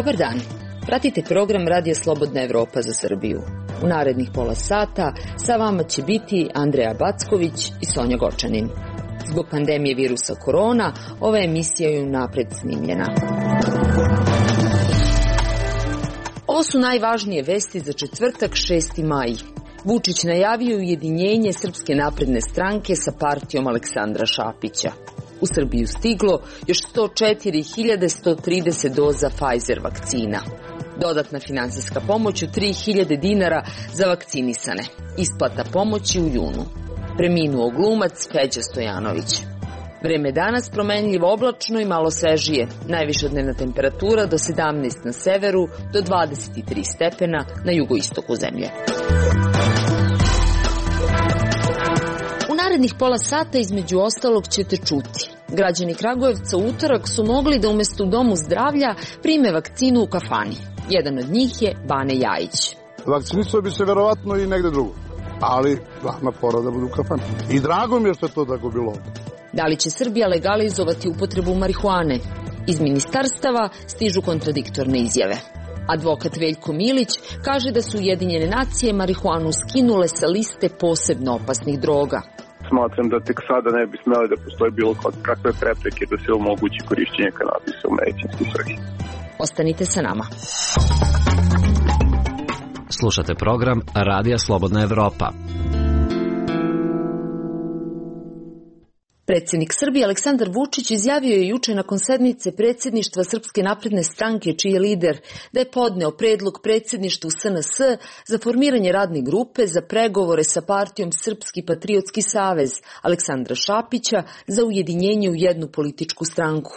Dobar dan. Pratite program Radija Slobodna Evropa za Srbiju. U narednih pola sata sa vama će biti Andreja Backović i Sonja Gočanin. Zbog pandemije virusa korona, ova emisija je unapred snimljena. Ovo su najvažnije vesti za četvrtak 6. maj. Vučić najavio ujedinjenje Srpske napredne stranke sa partijom Aleksandra Šapića. U Srbiju stiglo još 104.130 doza Pfizer vakcina. Dodatna finansijska pomoć od 3.000 dinara za vakcinisane. Isplata pomoći u junu. Preminuo glumac Peđa Stojanović. Vreme danas promenljivo oblačno i malo svežije. Najviša dnevna temperatura do 17 na severu, do 23 stepena na jugoistoku zemlje. U narednih pola sata između ostalog ćete čuti. Građani Kragujevca u utorak su mogli da umesto u domu zdravlja prime vakcinu u kafani. Jedan od njih je Bane Jajić. Vakcinisao bi se verovatno i negde drugo, ali glavna fora da budu u kafani. I drago mi je što je to tako bilo ovde. Da li će Srbija legalizovati upotrebu marihuane? Iz ministarstava stižu kontradiktorne izjave. Advokat Veljko Milić kaže da su Ujedinjene nacije marihuanu skinule sa liste posebno opasnih droga. Smatram da tek sada ne bi smeli da postoji bilo kakve prepreke da se omogući korišćenje kanabisa u medicinske svrhe. Ostanite sa nama. Slušate program Radija Slobodna Evropa. Predsjednik Srbije Aleksandar Vučić izjavio je juče nakon sednice predsjedništva Srpske napredne stranke, čiji je lider, da je podneo predlog predsjedništvu SNS za formiranje radne grupe za pregovore sa partijom Srpski patriotski savez Aleksandra Šapića za ujedinjenje u jednu političku stranku.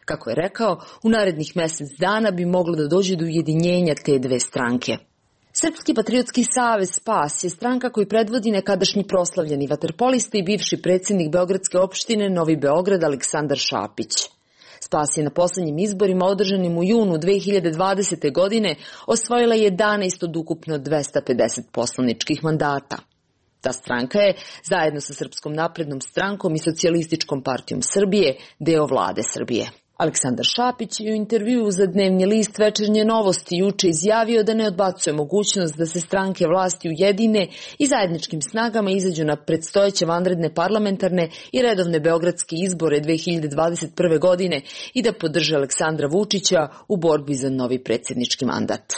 Kako je rekao, u narednih mjesec dana bi moglo da dođe do ujedinjenja te dve stranke. Srpski patriotski savez SPAS je stranka koju predvodi nekadašnji proslavljeni vaterpolista i bivši predsjednik Beogradske opštine Novi Beograd Aleksandar Šapić. SPAS je na posljednjim izborima održanim u junu 2020. godine osvojila 11 od ukupno 250 poslaničkih mandata. Ta stranka je, zajedno sa Srpskom naprednom strankom i Socijalističkom partijom Srbije, deo vlade Srbije. Aleksandar Šapić je u intervjuu za dnevni list Večernje novosti juče izjavio da ne odbacuje mogućnost da se stranke vlasti ujedine i zajedničkim snagama izađu na predstojeće vanredne parlamentarne i redovne beogradske izbore 2021. godine i da podrže Aleksandra Vučića u borbi za novi predsjednički mandat.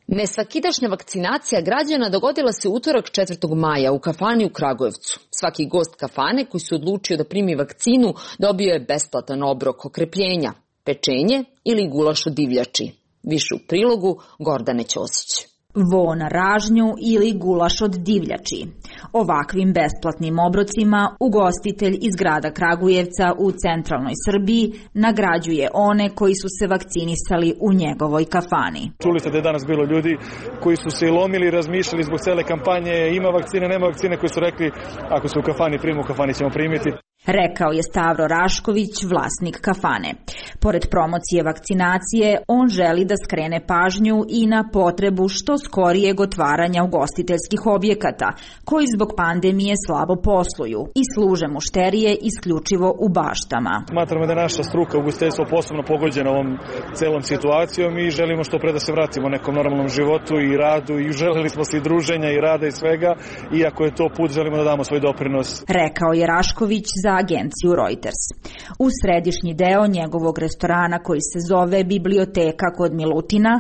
Nesvakidašnja vakcinacija građana dogodila se utorak 4. maja u kafani u Kragujevcu. Svaki gost kafane koji se odlučio da primi vakcinu dobio je besplatan obrok okrepljenja, pečenje ili gulaš od divljači. Više u prilogu Gordane Ćosić. Vo na ražnju ili gulaš od divljači. Ovakvim besplatnim obrocima ugostitelj iz grada Kragujevca u centralnoj Srbiji nagrađuje one koji su se vakcinisali u njegovoj kafani. Čuli ste da je danas bilo ljudi koji su se lomili i razmišljali zbog cele kampanje, ima vakcine, nema vakcine, koji su rekli ako se u kafani primi, u kafani ćemo primiti. Rekao je Stavro Rašković, vlasnik kafane. Pored promocije vakcinacije, on želi da skrene pažnju i na potrebu što skorijeg otvaranja ugostiteljskih objekata, koji zbog pandemije slabo posluju i služe mušterije isključivo u baštama. Smatramo da je naša struka ugostiteljstvo posebno pogođena ovom celom situacijom i želimo što pre da se vratimo nekom normalnom životu i radu i želeli smo se i druženja i rada i svega, i ako je to put, želimo da damo svoj doprinos. Rekao je Rašković za agenciju Reuters. U središnji deo njegovog restorana koji se zove Biblioteka kod Milutina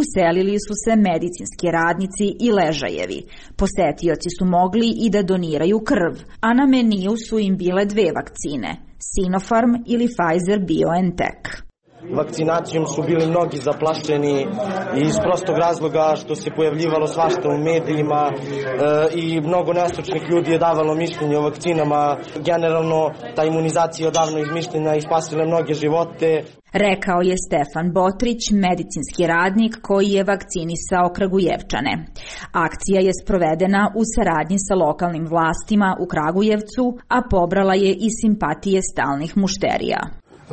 uselili su se medicinski radnici i ležajevi. Posetioci su mogli i da doniraju krv, a na meniju su im bile dve vakcine, Sinopharm ili Pfizer-BioNTech. Vakcinacijom su bili mnogi zaplašeni iz prostog razloga što se pojavljivalo svašta u medijima i mnogo nestručnih ljudi je davalo mišljenje o vakcinama. Generalno, ta imunizacija je odavno izmišljena i spasila mnoge živote. Rekao je Stefan Botrić, medicinski radnik koji je vakcinisao Kragujevčane. Akcija je sprovedena u saradnji sa lokalnim vlastima u Kragujevcu, a pobrala je i simpatije stalnih mušterija.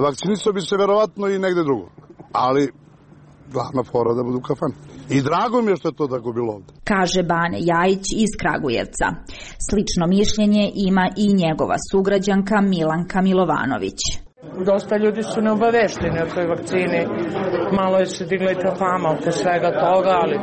Vakcinisao bi se verovatno i negde drugo, ali glavna fora da budu u kafani. I drago mi je što je to tako bilo ovde. Kaže Bane Jajić iz Kragujevca. Slično mišljenje ima i njegova sugrađanka Milanka Milovanović. Dosta ljudi su neobavešteni o toj vakcini, malo je se digla i ta fama oko svega toga, ali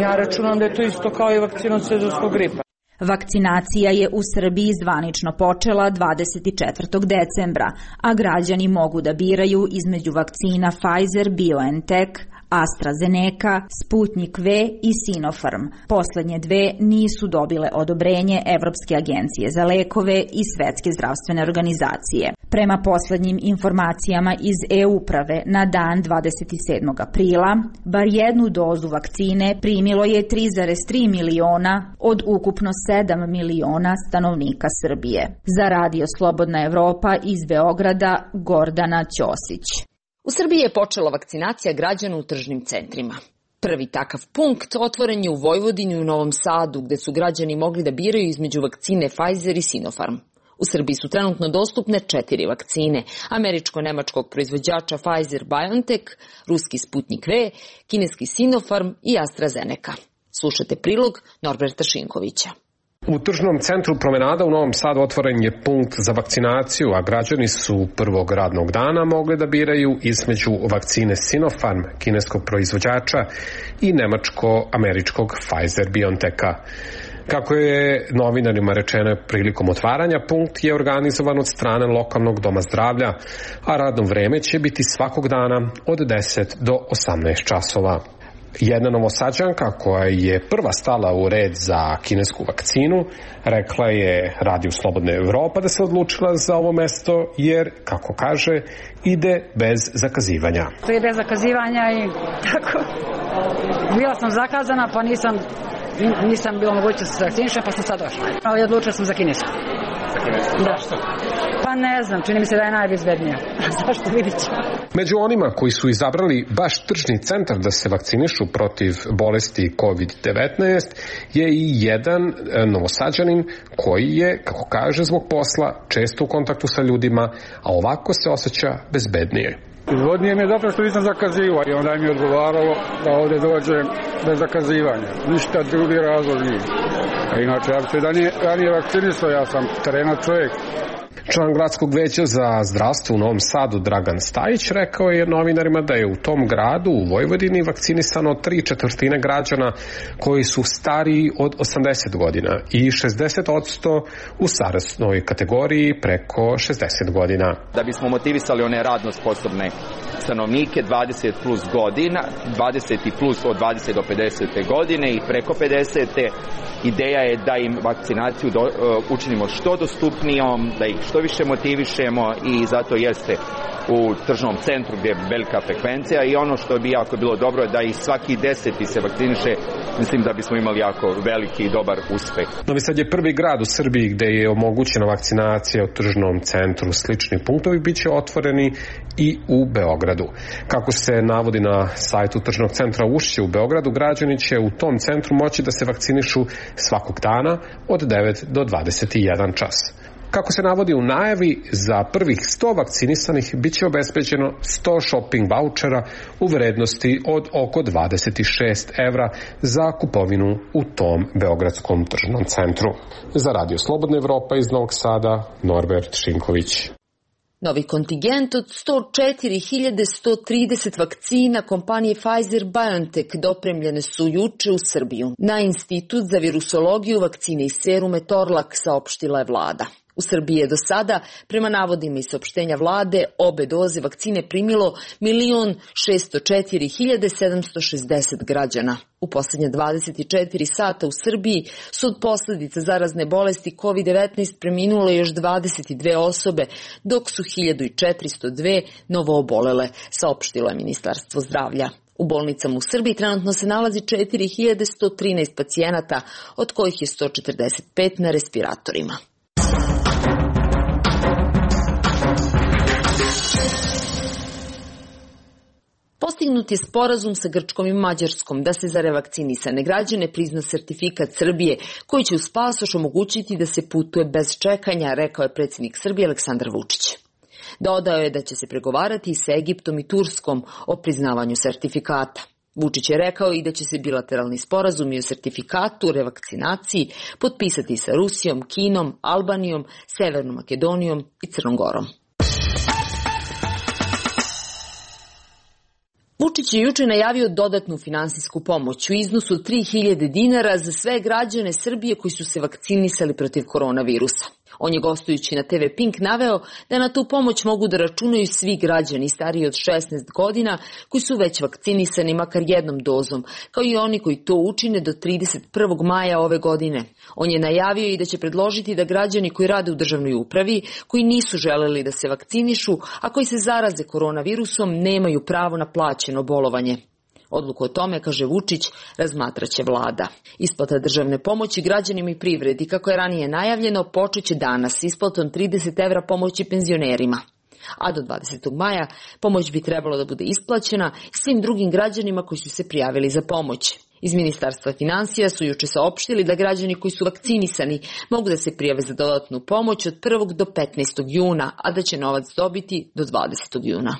ja računam da je to isto kao i vakcina od sezonskog gripa. Vakcinacija je u Srbiji zvanično počela 24. decembra, a građani mogu da biraju između vakcina Pfizer-BioNTech, AstraZeneca, Sputnik V i Sinopharm. Poslednje dve nisu dobile odobrenje Evropske agencije za lekove i Svetske zdravstvene organizacije. Prema poslednjim informacijama iz e-uprave na dan 27. aprila, bar jednu dozu vakcine primilo je 3,3 miliona od ukupno 7 miliona stanovnika Srbije. Za Radio Slobodna Evropa iz Beograda, Gordana Ćosić. U Srbiji je počela vakcinacija građana u tržnim centrima. Prvi takav punkt otvoren je u Vojvodini i u Novom Sadu, gde su građani mogli da biraju između vakcine Pfizer i Sinopharm. U Srbiji su trenutno dostupne 4 vakcine, američko-nemačkog proizvođača Pfizer-BioNTech, ruski Sputnik V, kineski Sinopharm i AstraZeneca. Slušajte prilog Norberta Šinkovića. U tržnom centru Promenada u Novom Sadu otvoren je punkt za vakcinaciju, a građani su prvog radnog dana mogli da biraju između vakcine Sinopharm, kineskog proizvođača, i nemačko-američkog Pfizer-BioNTecha. Kako je novinarima rečeno prilikom otvaranja, punkt je organizovan od strane lokalnog doma zdravlja, a radno vreme će biti svakog dana od 10 do 18 časova. Jedna Novosađanka koja je prva stala u red za kinesku vakcinu rekla je Radio Slobodna Evropa da se odlučila za ovo mesto jer, kako kaže, ide bez zakazivanja. To je bez zakazivanja i tako. Bila sam zakazana pa nisam bilo moguće da se vakcinišem pa sam sad došla. Ali odlučila sam za kinesku. Da. Pa ne znam, čini mi se da je najbezbednija. Zašto, vidit ćemo. Među onima koji su izabrali baš tržni centar da se vakcinišu protiv bolesti COVID-19 je i jedan Novosađanin koji je, kako kaže, zbog posla često u kontaktu sa ljudima, a ovako se osjeća bezbednije. Izvodnije mi je zato što nisam zakazivao i onda mi je odgovaralo da ovdje dođem bez zakazivanja. Ništa drugi razlog nije. A inače, ja bi se ranije vakcinisao, ja sam terenac čovjek. Član gradskog veća za zdravstvo u Novom Sadu Dragan Stajić rekao je novinarima da je u tom gradu u Vojvodini vakcinisano 3/4 građana koji su stariji od 80 godina i 60% u starosnoj kategoriji preko 60 godina. Da bismo motivisali one radno sposobne stanovnike 20 plus godina, 20 i plus od 20 do 50 godine i preko 50. Ideja je da im vakcinaciju učinimo što dostupnijom, da ih što više motivišemo i zato jeste u tržnom centru gdje je velika frekvencija i ono što bi jako bilo dobro je da i svaki 10. se vakciniše, mislim da bismo imali jako veliki i dobar uspeh. Novi Sad je prvi grad u Srbiji gde je omogućena vakcinacija u tržnom centru. Slični punktovi bit će otvoreni i u Beogradu. Kako se navodi na sajtu tržnog centra Ušće u Beogradu, građani će u tom centru moći da se vakcinišu svakog dana od 9 do 21 čas. Kako se navodi u najavi, za prvih 100 vakcinisanih bit će obezbeđeno 100 shopping vouchera u vrednosti od oko 26 evra za kupovinu u tom beogradskom tržnom centru. Za Radio Slobodna Evropa iz Novog Sada, Norbert Šinković. Novi kontingent od 104.130 vakcina kompanije Pfizer-BioNTech dopremljene su juče u Srbiju. Na Institut za virusologiju, vakcine i serume Torlak saopštila je vlada. U Srbiji je do sada, prema navodima i saopštenja vlade, obe doze vakcine primilo 1.604.760 građana. U poslednje 24 sata u Srbiji su od posledica zarazne bolesti COVID-19 preminule još 22 osobe, dok su 1402 novo obolele, saopštilo je Ministarstvo zdravlja. U bolnicama u Srbiji trenutno se nalazi 4113 pacijenata, od kojih je 145 na respiratorima. Postignut je sporazum sa Grčkom i Mađarskom da se za revakcinisane građane prizna sertifikat Srbije koji će uz pasoš omogućiti da se putuje bez čekanja, rekao je predsjednik Srbije Aleksandar Vučić. Dodao je da će se pregovarati i sa Egiptom i Turskom o priznavanju sertifikata. Vučić je rekao i da će se bilateralni sporazumi o sertifikatu o revakcinaciji potpisati sa Rusijom, Kinom, Albanijom, Severnom Makedonijom i Crnom Gorom. Vučić je juče najavio dodatnu finansijsku pomoć u iznosu od 3.000 dinara za sve građane Srbije koji su se vakcinisali protiv koronavirusa. On je gostujući na TV Pink naveo da na tu pomoć mogu da računaju svi građani stariji od 16 godina koji su već vakcinisani makar jednom dozom, kao i oni koji to učine do 31. maja ove godine. On je najavio i da će predložiti da građani koji rade u državnoj upravi, koji nisu želeli da se vakcinišu, a koji se zaraze koronavirusom, nemaju pravo na plaćeno bolovanje. Odluku o tome, kaže Vučić, razmatraće vlada. Isplata državne pomoći građanima i privredi, kako je ranije najavljeno, počeće danas isplatom 30 evra pomoći penzionerima. A do 20. maja pomoć bi trebalo da bude isplaćena svim drugim građanima koji su se prijavili za pomoć. Iz Ministarstva finansija su juče saopštili da građani koji su vakcinisani mogu da se prijave za dodatnu pomoć od 1. do 15. juna, a da će novac dobiti do 20. juna.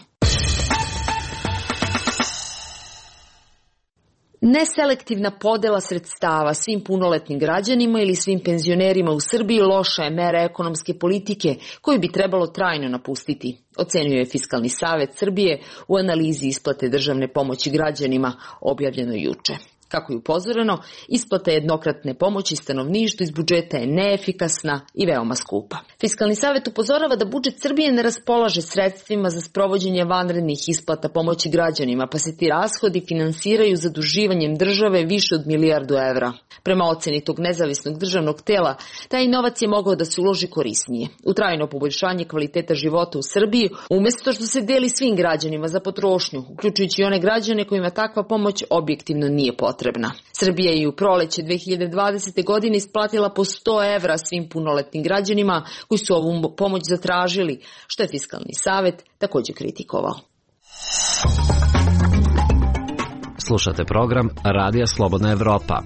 Neselektivna podela sredstava svim punoletnim građanima ili svim penzionerima u Srbiji loša je mera ekonomske politike koju bi trebalo trajno napustiti, ocenio je Fiskalni savet Srbije u analizi isplate državne pomoći građanima objavljeno juče. Kako je upozoreno, isplata jednokratne pomoći stanovništvu iz budžeta je neefikasna i veoma skupa. Fiskalni savet upozorava da budžet Srbije ne raspolaže sredstvima za sprovođenje vanrednih isplata pomoći građanima, pa se ti rashodi finansiraju zaduživanjem države više od milijardu evra. Prema oceni tog nezavisnog državnog tela, taj novac je mogao da se uloži korisnije u trajno poboljšanje kvaliteta života u Srbiji, umjesto što se deli svim građanima za potrošnju, uključujući i one građane kojima takva pomoć objektivno nije potrebna. Srbija je u proleće 2020. godine isplatila po 100 evra svim punoletnim građanima koji su ovu pomoć zatražili, što je Fiskalni savet također kritikovao. Slušate program Radija Slobodna Evropa.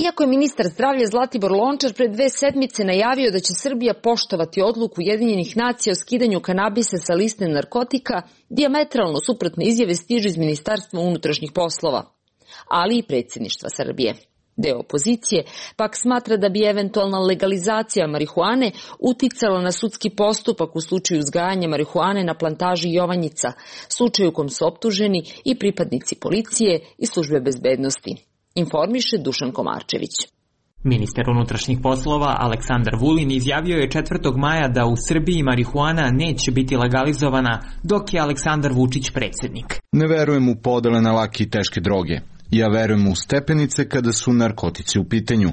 Iako je ministar zdravlja Zlatibor Lončar pre 2 sedmice najavio da će Srbija poštovati odluku Ujedinjenih nacija o skidanju kanabisa sa liste narkotika, dijametralno suprotne izjave stižu iz Ministarstva unutrašnjih poslova, ali i predsjedništva Srbije. Deo opozicije pak smatra da bi eventualna legalizacija marihuane uticala na sudski postupak u slučaju uzgajanja marihuane na plantaži Jovanjica, slučaju u kom su optuženi i pripadnici policije i službe bezbednosti. Informiše Dušan Komarčević. Ministar unutrašnjih poslova Aleksandar Vulin izjavio je 4. maja da u Srbiji marihuana neće biti legalizovana dok je Aleksandar Vučić predsjednik. Ne verujem u podele na lake i teške droge. Ja verujem u stepenice kada su narkotici u pitanju.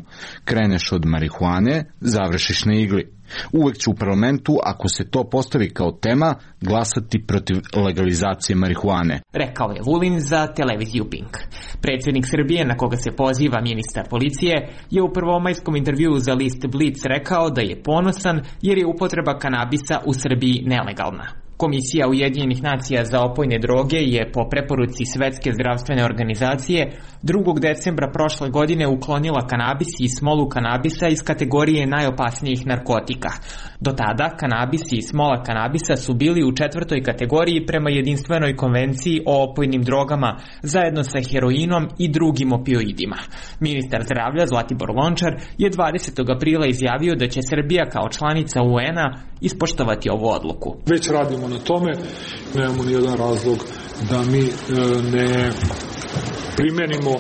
Kreneš od marihuane, završiš na igli. Uvek ću u parlamentu, ako se to postavi kao tema, glasati protiv legalizacije marihuane, rekao je Vulin za televiziju Pink. Predsjednik Srbije, na koga se poziva ministar policije, je u prvomajskom intervjuu za list Blic rekao da je ponosan jer je upotreba kanabisa u Srbiji nelegalna. Komisija Ujedinjenih nacija za opojne droge je po preporuci Svetske zdravstvene organizacije 2. decembra prošle godine uklonila kanabis i smolu kanabisa iz kategorije najopasnijih narkotika. Do tada kanabis i smola kanabisa su bili u 4. kategoriji prema jedinstvenoj konvenciji o opojnim drogama zajedno sa heroinom i drugim opioidima. Ministar zdravlja Zlatibor Lončar je 20. aprila izjavio da će Srbija kao članica UN-a ispoštovati ovu odluku. Već radimo na tome, nemamo nijedan razlog da mi ne primenimo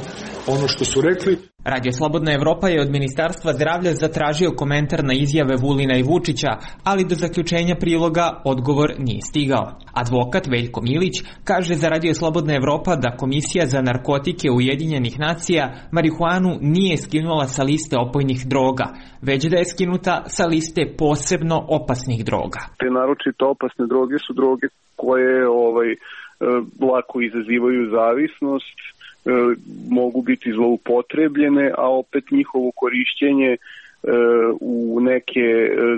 ono što su rekli. Radio Slobodna Evropa je od Ministarstva zdravlja zatražio komentar na izjave Vulina i Vučića, ali do zaključenja priloga odgovor nije stigao. Advokat Veljko Milić kaže za Radio Slobodna Evropa da Komisija za narkotike Ujedinjenih nacija marihuanu nije skinula sa liste opojnih droga, već da je skinuta sa liste posebno opasnih droga. Te naročito opasne droge su droge koje lako izazivaju zavisnost, mogu biti zloupotrebljene, a opet njihovo korišćenje u neke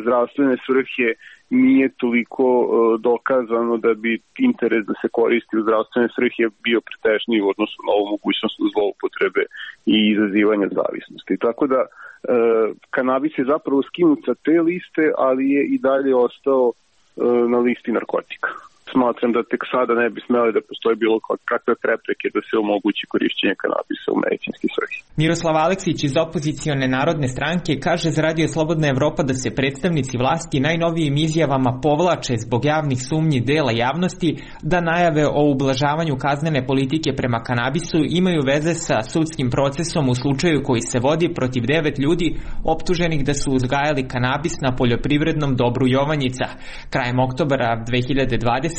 zdravstvene svrhe nije toliko dokazano da bi interes da se koristi u zdravstvene svrhe bio pretežniji u odnosu na ovu mogućnost zloupotrebe i izazivanja zavisnosti. Tako da kanabis je zapravo skinut sa te liste, ali je i dalje ostao na listi narkotika. Smatram da tek sada ne bi smeli da postoje bilo kakve prepreke da se omogući korišćenje kanabisa u medicinski svrhe. Miroslav Aleksić iz opozicione Narodne stranke kaže za Radio Slobodna Evropa da se predstavnici vlasti najnovijim izjavama povlače zbog javnih sumnji dela javnosti da najave o ublažavanju kaznene politike prema kanabisu imaju veze sa sudskim procesom u slučaju koji se vodi protiv 9 ljudi optuženih da su uzgajali kanabis na poljoprivrednom dobru Jovanjica. Krajem oktobra 2020.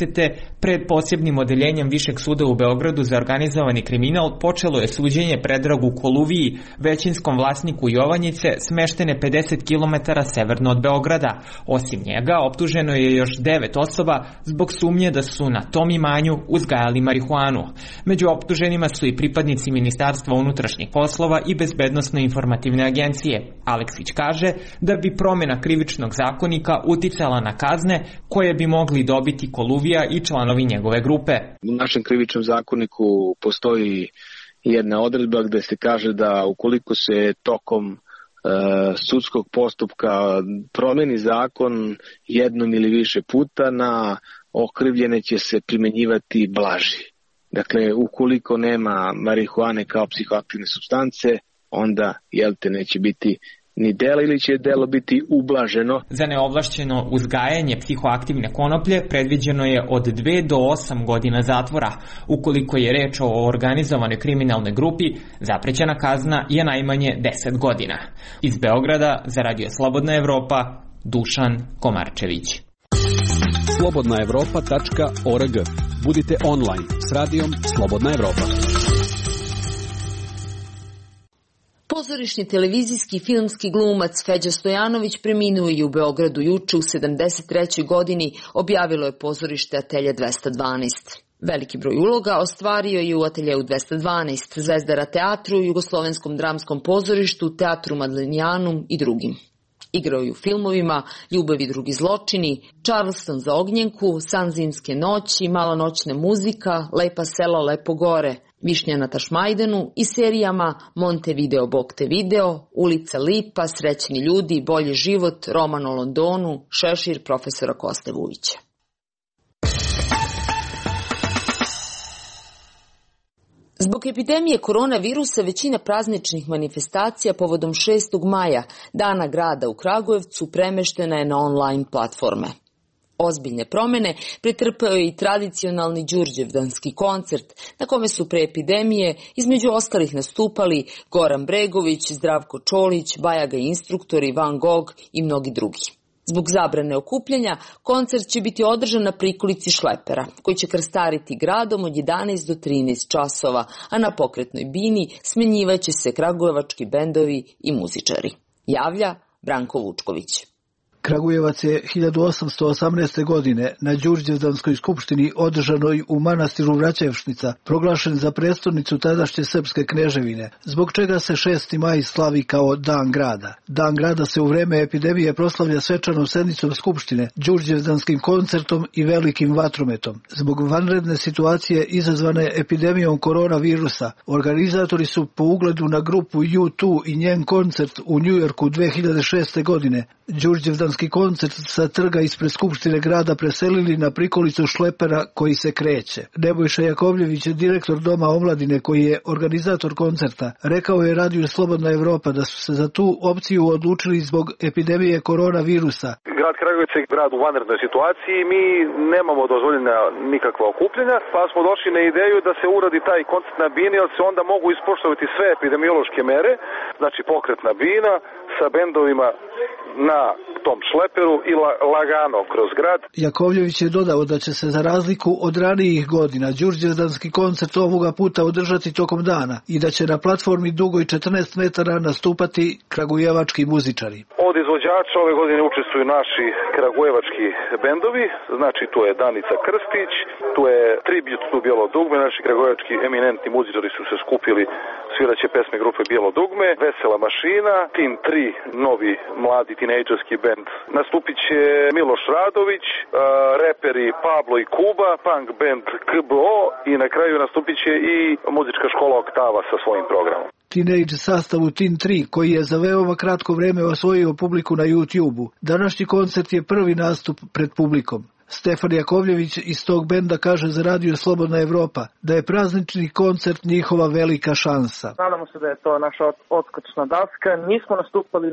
pred posebnim odeljenjem Višeg suda u Beogradu za organizovani kriminal počelo je suđenje Predragu Koluviji, većinskom vlasniku Jovanjice, smeštene 50 km severno od Beograda. Osim njega, optuženo je još 9 osoba zbog sumnje da su na tom imanju uzgajali marihuanu. Među optuženima su i pripadnici Ministarstva unutrašnjih poslova i Bezbednosno-informativne agencije. Aleksić kaže da bi promjena krivičnog zakonika uticala na kazne koje bi mogli dobiti Koluvija i članovi njegove grupe. U našem krivičnom zakoniku postoji jedna odredba gde se kaže da ukoliko se tokom sudskog postupka promeni zakon jednom ili više puta, na okrivljene će se primenjivati blaži. Dakle, ukoliko nema marihuane kao psihoaktivne supstance, onda neće biti ni delo ili će delo biti ublaženo. Za neovlašćeno uzgajanje psihoaktivne konoplje predviđeno je od 2 do 8 godina zatvora. Ukoliko je reč o organizovanoj kriminalnoj grupi, zaprećena kazna je najmanje 10 godina. Iz Beograda za Radio Slobodna Evropa, Dušan Komarčević. slobodnaevropa.org. Budite online s radijom Slobodna Evropa. Pozorišni televizijski filmski glumac Feđa Stojanović preminuo je u Beogradu juče u 73. godini, objavilo je pozorište Atelje 212. Veliki broj uloga ostvario je u Ateljeu 212, Zvezdara teatru, Jugoslovenskom dramskom pozorištu, Teatru Madlenijanum i drugim. Igrao je u filmovima Ljubav i drugi zločini, Charleston za ognjenku, San zimske noći, Mala noćna muzika, Lepa sela, Lepo gore, Višnja na Tašmajdanu i serijama Montevideo, Boktevideo, Ulica Lipa, Srećni ljudi, Bolji život, Roman o Londonu, Šešir profesora Koste Vujića. Zbog epidemije koronavirusa većina prazničnih manifestacija povodom 6. maja, Dana grada u Kragujevcu, premeštena je na online platforme. Ozbiljne promjene pretrpeo je i tradicionalni Đurđevdanski koncert, na kome su pre epidemije između ostalih nastupali Goran Bregović, Zdravko Čolić, Bajaga instruktori, Van Gogh i mnogi drugi. Zbog zabrane okupljanja, koncert će biti održan na prikolici Šlepera, koji će krstariti gradom od 11 do 13 časova, a na pokretnoj bini smenjivaće se kragujevački bendovi i muzičari. Javlja Branko Vučković. Kragujevac je 1818. godine na Đurđevdanskoj skupštini održanoj u manastiru Vraćevšnica proglašen za prestolnicu tadašnje srpske kneževine, zbog čega se 6. maj slavi kao Dan grada. Dan grada se u vreme epidemije proslavlja svečanom sednicom skupštine, Đurđevdanskim koncertom i velikim vatrometom. Zbog vanredne situacije izazvane epidemijom koronavirusa, organizatori su po ugledu na grupu U2 i njen koncert u Njujorku 2006. godine Đurđevdanski koncert sa trga ispred Skupštine grada preselili na prikolicu Šlepera koji se kreće. Nebojša Jakovljević, direktor Doma omladine koji je organizator koncerta, rekao je Radiju Slobodna Evropa da su se za tu opciju odlučili zbog epidemije koronavirusa. Grad Kragujevac je grad u vanrednoj situaciji, mi nemamo dozvoljena nikakva okupljanja, pa smo došli na ideju da se uradi taj koncert na bini, jer se onda mogu ispoštovati sve epidemiološke mere, znači pokretna bina sa bendovima na tom Šleperu i lagano kroz grad. Jakovljević je dodao da će se za razliku od ranijih godina Đurđevdanski koncert ovoga puta održati tokom dana i da će na platformi dugoj 14 metara nastupati kragujevački muzičari. Od izvođača ove godine učestvuju naši kragujevački bendovi, znači tu je Danica Krstić, tu je Tribut tu Bijelo dugme, naši kragujevački eminentni muzičari su se skupili, sviraće pesme grupe Bijelo dugme, Vesela mašina, Tin 3, novi mladi tinejdžerski bend. Nastupit će Miloš Radović, reperi Pablo i Kuba, punk band KBO i na kraju nastupit će i muzička škola Oktava sa svojim programom. Teenage sastavu Tin 3, koji je za veoma kratko vreme osvojio publiku na YouTube-u. Današnji koncert je prvi nastup pred publikom. Stefan Jakovljević iz tog benda kaže za Radio Slobodna Evropa da je praznični koncert njihova velika šansa. Nadamo se da je to naša odskočna daska. Nismo nastupali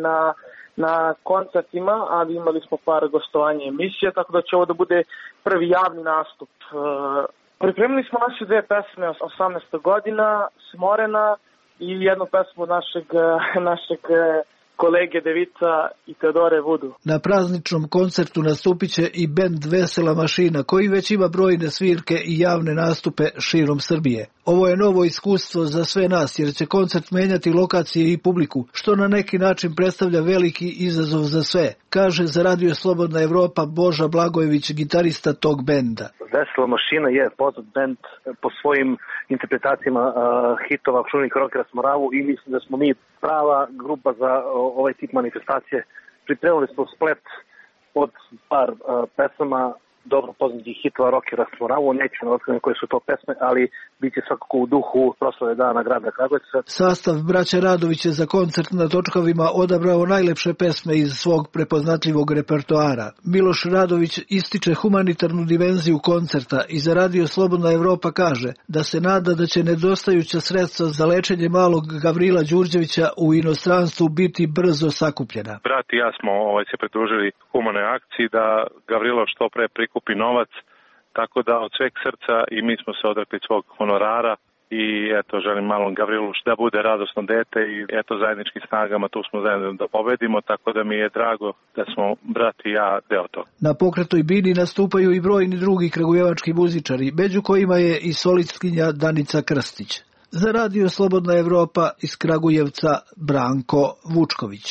na koncertima, ali imali smo par gostovanja emisije, tako da će ovo da bude prvi javni nastup. Pripremili smo naše dve pesme, 18. godina, Smorena i jednu pesmu našeg kolege Devica i Teodore Vudu. Na prazničnom koncertu nastupit će i bend Vesela mašina, koji već ima brojne svirke i javne nastupe širom Srbije. Ovo je novo iskustvo za sve nas, jer će koncert menjati lokacije i publiku, što na neki način predstavlja veliki izazov za sve, kaže za Radio Slobodna Evropa Boža Blagojević, gitarista tog benda. Vesela mašina je poznat bend po svojim interpretacijama hitova čuvenih rockera s Moravu i mislim da smo mi prava grupa za ovaj tip manifestacije. Pripremili smo splet od par pesama dobro poznatih hitova rockera s Moravu. Neću na otkrivam koje su to pesme, ali bit će svakako u duhu proslave dana grada Kragujevca. Sastav braće Radović je za koncert na Točkovima odabrao najlepše pesme iz svog prepoznatljivog repertoara. Miloš Radović ističe humanitarnu dimenziju koncerta i za Radio Slobodna Evropa kaže da se nada da će nedostajuća sredstva za lečenje malog Gavrila Đurđevića u inostranstvu biti brzo sakupljena. Brat i ja smo se pridružili humanoj akciji da Gavrilo što pre prikupi novac, tako da od sveg srca i mi smo se odrekli svog honorara i eto želim malom Gavrilu da bude radosno dete i eto zajedničkim snagama tu smo zajedno da pobedimo, tako da mi je drago da smo brat i ja deo toga. Na pokretoj bini nastupaju i brojni drugi kragujevački muzičari, među kojima je i solistkinja Danica Krstić. Za Radio Slobodna Evropa iz Kragujevca Branko Vučković.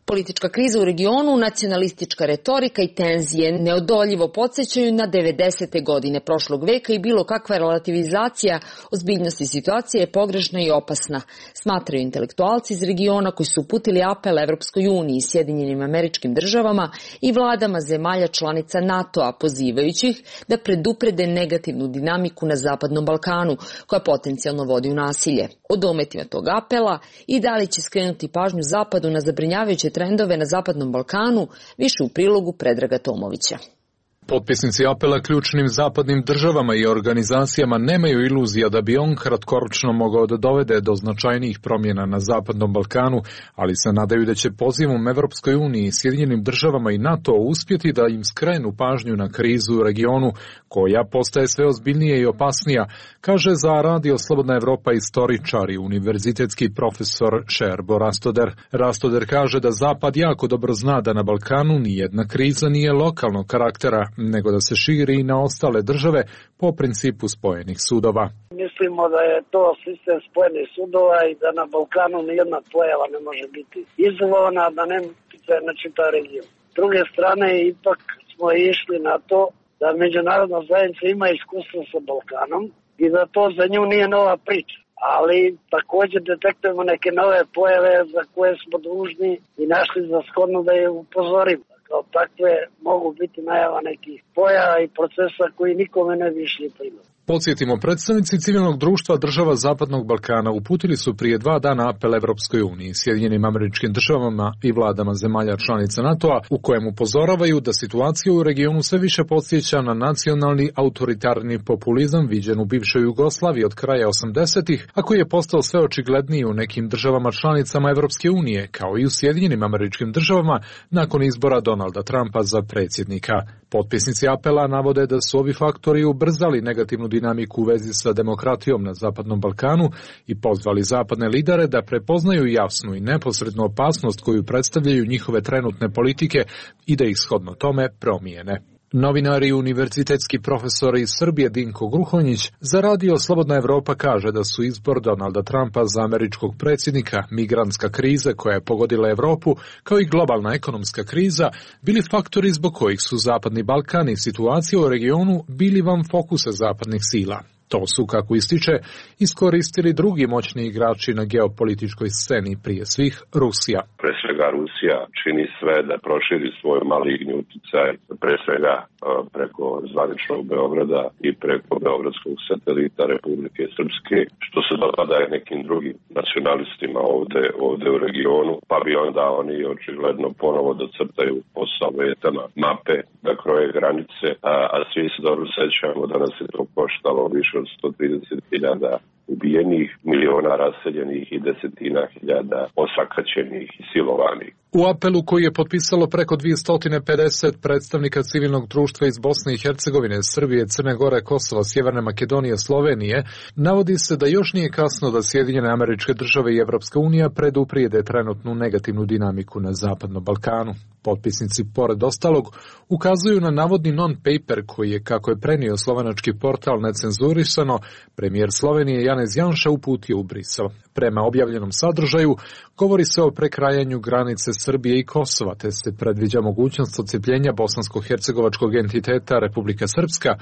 Politička kriza u regionu, nacionalistička retorika i tenzije neodoljivo podsjećaju na 90. godine prošlog veka i bilo kakva relativizacija ozbiljnosti situacije je pogrešna i opasna, smatraju intelektualci iz regiona koji su uputili apel Evropskoj uniji, Sjedinjenim Američkim Državama i vladama zemalja članica NATO-a, pozivajući ih da preduprede negativnu dinamiku na Zapadnom Balkanu, koja potencijalno vodi u nasilje. O dometima tog apela i da li će skrenuti pažnju Zapadu na zabrinjavajuće trendove na Zapadnom Balkanu, više u prilogu Predraga Tomovića. Potpisnici apela ključnim zapadnim državama i organizacijama nemaju iluzija da bi on kratkoročno mogao da dovede do značajnijih promjena na Zapadnom Balkanu, ali se nadaju da će pozivom Evropskoj uniji, Sjedinjenim državama i NATO uspjeti da im skrenu pažnju na krizu u regionu, koja postaje sve ozbiljnija i opasnija, kaže za Radio Slobodna Evropa istoričar i univerzitetski profesor Šerbo Rastoder. Rastoder kaže da Zapad jako dobro zna da na Balkanu nijedna kriza nije lokalnog karaktera, nego da se širi i na ostale države po principu spojenih sudova. Mislimo da je to sistem spojenih sudova i da na Balkanu nijedna pojava ne može biti izolovana, da ne utječe na čitav region. S druge strane, ipak smo išli na to da međunarodna zajednica ima iskustvo sa Balkanom i da to za nju nije nova priča. Ali također detektujemo neke nove pojave za koje smo dužni i našli za shodno da je upozorimo. Kao takve mogu biti najava nekih pojava i procesa koji nikome ne bi išli primjer. Podsjetimo, predstavnici civilnog društva država Zapadnog Balkana uputili su prije 2 dana apel Evropskoj uniji, Sjedinjenim Američkim Državama i vladama zemalja članica NATO-a, u kojem upozoravaju da situacija u regionu sve više podsjeća na nacionalni autoritarni populizam viđen u bivšoj Jugoslaviji od kraja 80-ih, a koji je postao sve očigledniji u nekim državama članicama Evropske unije, kao i u Sjedinjenim Američkim Državama nakon izbora Donalda Trumpa za predsjednika. Potpisnici apela navode da su ovi faktori ubrzali negativnu dinamiku u vezi sa demokratijom na Zapadnom Balkanu i pozvali zapadne lidere da prepoznaju jasnu i neposrednu opasnost koju predstavljaju njihove trenutne politike i da ih shodno tome promijene. Novinar i univerzitetski profesor iz Srbije Dinko Gruhonjić za Radio Slobodna Evropa kaže da su izbor Donalda Trumpa za američkog predsjednika, migrantska kriza koja je pogodila Evropu, kao i globalna ekonomska kriza, bili faktori zbog kojih su Zapadni Balkan i situacija u regionu bili van fokusa zapadnih sila. To su, kako ističe, iskoristili drugi moćni igrači na geopolitičkoj sceni, prije svih Rusija. Pre svega Rusija čini sve da proširi svoj maligni uticaj, pre svega preko zvaničnog Beograda i preko beogradskog satelita Republike Srpske, što se dopada i nekim drugim nacionalistima ovde u regionu, pa bi onda oni očigledno ponovo da crtaju po Sovjetama mape, da kroje granice, a svi se dobro sećamo da nas je to koštalo više od 130.000 ubijenih, miliona raseljenih i desetina hiljada osakaćenih i silovanih. U apelu koji je potpisalo preko 250 predstavnika civilnog društva iz Bosne i Hercegovine, Srbije, Crne Gore, Kosova, Sjeverne Makedonije, Slovenije, navodi se da još nije kasno da Sjedinjene Američke Države i Evropska unija preduprijede trenutnu negativnu dinamiku na Zapadnom Balkanu. Potpisnici, pored ostalog, ukazuju na navodni non-paper koji je, kako je prenio slovenački portal Necenzurisano, premijer Slovenije Janez Janša uputio u Brisel. Prema objavljenom sadržaju, govori se o prekrajanju granice Srbije i Kosova, te se predviđa mogućnost odcepljenja bosansko-hercegovačkog entiteta Republika Srpska,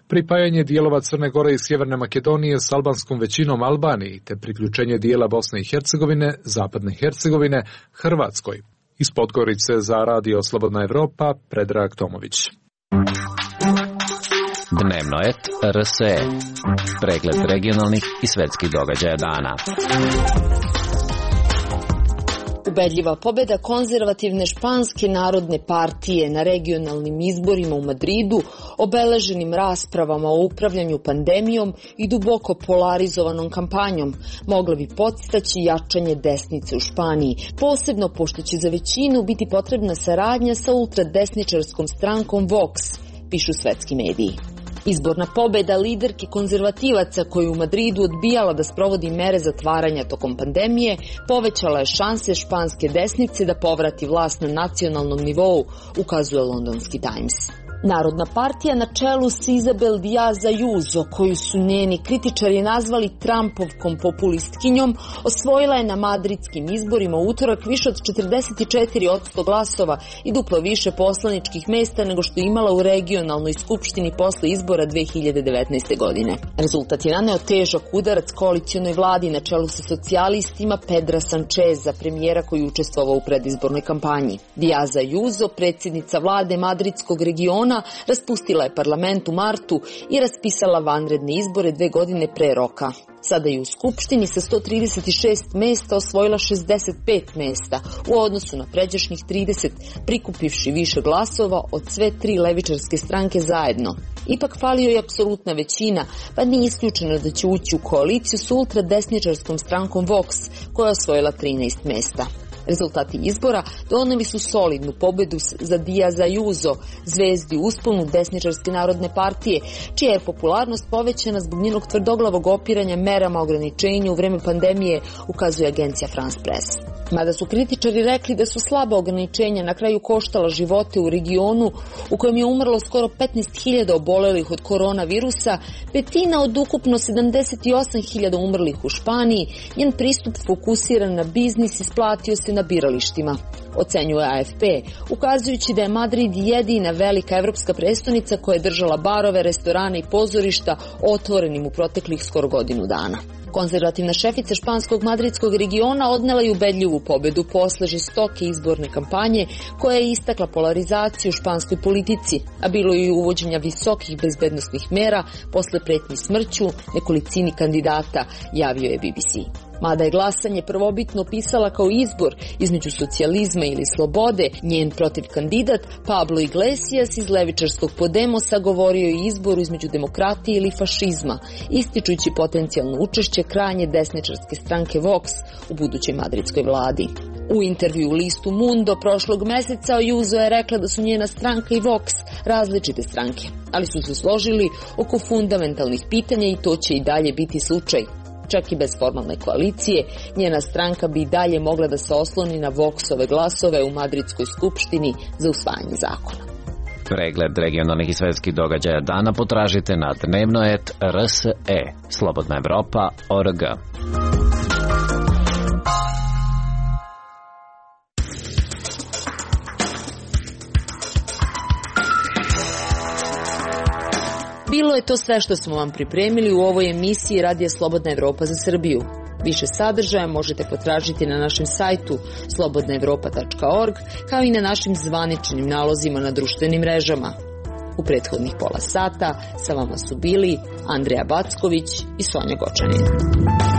pripajanje dijelova Crne Gore i Sjeverne Makedonije s albanskom većinom Albaniji, te priključenje dijela Bosne i Hercegovine, Zapadne Hercegovine, Hrvatskoj. Iz Podgorice za Radio Slobodna Evropa, Predrag Tomović. Dnevno et RSE. Pregled regionalnih i svetskih događaja dana. Ubedljiva pobjeda konzervativne španske narodne partije na regionalnim izborima u Madridu, obeleženim raspravama o upravljanju pandemijom i duboko polarizovanom kampanjom, mogla bi podstaći jačanje desnice u Španiji, posebno pošto će za većinu biti potrebna saradnja sa ultradesničarskom strankom Vox, pišu svetski mediji. Izborna pobjeda liderke konzervativaca koju u Madridu odbijala da sprovodi mere zatvaranja tokom pandemije povećala je šanse španske desnice da povrati vlast na nacionalnom nivou, ukazuje londonski Times. Narodna partija na čelu s Isabel Díaz Ayuso, koju su njeni kritičari nazvali Trumpovkom populistkinjom, osvojila je na madridskim izborima u utorak više od 44% glasova i duplo više poslaničkih mesta nego što je imala u regionalnoj skupštini posle izbora 2019. godine. Rezultat je naneo težak udarac koalicionoj vladi na čelu sa socijalistima Pedra Sancheza, premijera koji učestvovao u predizbornoj kampanji. Díaz Ayuso, predsjednica vlade madridskog regiona, raspustila je parlament u martu i raspisala vanredne izbore 2 godine pre roka. Sada je u Skupštini sa 136 mesta osvojila 65 mesta u odnosu na pređašnjih 30, prikupivši više glasova od sve 3 levičarske stranke zajedno. Ipak falio je apsolutna većina, pa nije isključeno da će ući u koaliciju s ultradesničarskom strankom Vox, koja je osvojila 13 mesta. Rezultati izbora doneli su solidnu pobedu za Díaz Ayuso, zvezdi u usponu desničarske narodne partije, čija je popularnost povećana zbog njenog tvrdoglavog opiranja merama ograničenja u vreme pandemije, ukazuje agencija France Press. Mada su kritičari rekli da su slaba ograničenja na kraju koštala živote u regionu u kojem je umrlo skoro 15.000 obolelih od koronavirusa, petina od ukupno 78.000 umrlih u Španiji, njen pristup fokusiran na biznis isplatio se na biralištima, ocenjuje AFP, ukazujući da je Madrid jedina velika evropska prestonica koja je držala barove, restorane i pozorišta otvorenim u proteklih skoro godinu dana. Konzervativna šefica španskog madridskog regiona odnela je ubedljivu pobedu posle žestoke izborne kampanje koja je istakla polarizaciju u španskoj politici, a bilo je i uvođenja visokih bezbednosnih mera posle pretnji smrću nekolicini kandidata, javio je BBC. Mada je glasanje prvobitno opisala kao izbor između socijalizma ili slobode, njen protiv kandidat Pablo Iglesias iz levičarskog Podemosa govorio je o izboru između demokratije ili fašizma, ističujući potencijalno učešće krajnje desničarske stranke Vox u budućoj madridskoj vladi. U intervju u listu Mundo prošlog meseca Ayuso je rekla da su njena stranka i Vox različite stranke, ali su se složili oko fundamentalnih pitanja i to će i dalje biti slučaj. Čak i bez formalne koalicije, njena stranka bi i dalje mogla da se osloni na Voxove glasove u Madridskoj skupštini za usvajanje zakona. Pregled regionalnih i svetskih događaja dana potražite na dnevno.rs.e, slobodnaevropa.org. Bilo je to sve što smo vam pripremili u ovoj emisiji Radija Slobodna Evropa za Srbiju. Više sadržaja možete potražiti na našem sajtu slobodnaevropa.org, kao i na našim zvaničnim nalozima na društvenim mrežama. U prethodnih pola sata sa vama su bili Andreja Backović i Sonja Gočanin.